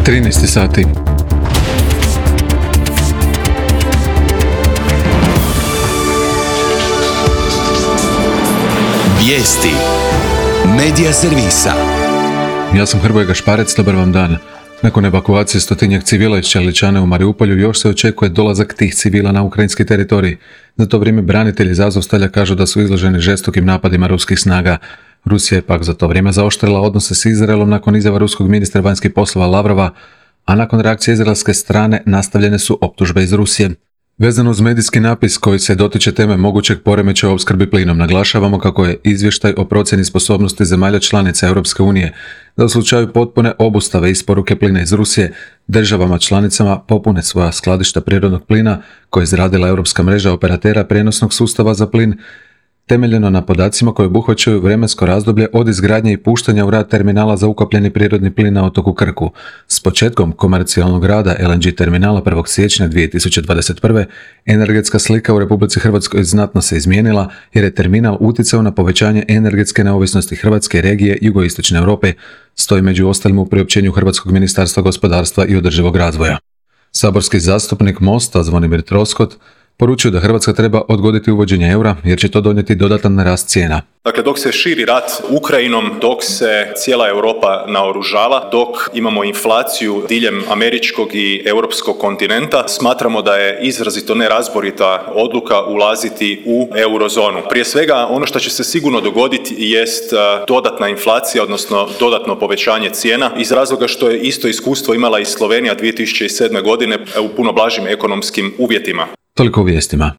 13 sati. Vijesti Medija servisa. Ja sam Hrvoje Gašparec, dobar vam dan. Nakon evakuacije 100-tinjak civila iz Čeličane u Mariupolju još se očekuje dolazak tih civila na ukrajinski teritorij. Za to vrijeme branitelji iz Azovstalja kažu da su izloženi žestokim napadima ruskih snaga. Rusija je pak za to vrijeme zaoštrila odnose s Izraelom nakon izjava ruskog ministra vanjskih poslova Lavrova, a nakon reakcije izraelske strane nastavljene su optužbe iz Rusije. Vezano uz medijski napis koji se dotiče teme mogućeg poremećaja u opskrbi plinom, naglašavamo kako je izvještaj o procjeni sposobnosti zemalja članica Europske unije da u slučaju potpune obustave isporuke plina iz Rusije državama članicama popune svoja skladišta prirodnog plina koje je izradila Europska mreža operatera prijenosnog sustava za plin, temeljeno na podacima koji obuhvaćaju vremensko razdoblje od izgradnje i puštanja u rad terminala za ukapljeni prirodni plin na otoku Krku. S početkom komercijalnog rada LNG terminala 1. siječnja 2021. energetska slika u Republici Hrvatskoj znatno se izmijenila jer je terminal utjecao na povećanje energetske neovisnosti Hrvatske regije jugoistočne Europe, stoji među ostalim u priopćenju Hrvatskog ministarstva gospodarstva i održivog razvoja. Saborski zastupnik MOST-a Zvonimir Troskot poručio da Hrvatska treba odgoditi uvođenje eura jer će to donijeti dodatan rast cijena. Dakle, dok se širi rat Ukrajinom, dok se cijela Europa naoružava, dok imamo inflaciju diljem američkog i europskog kontinenta, smatramo da je izrazito nerazborita odluka ulaziti u eurozonu. Prije svega, ono što će se sigurno dogoditi jest dodatna inflacija, odnosno dodatno povećanje cijena, iz razloga što je isto iskustvo imala i Slovenija 2007. godine u puno blažim ekonomskim uvjetima. Toliko u vijestima.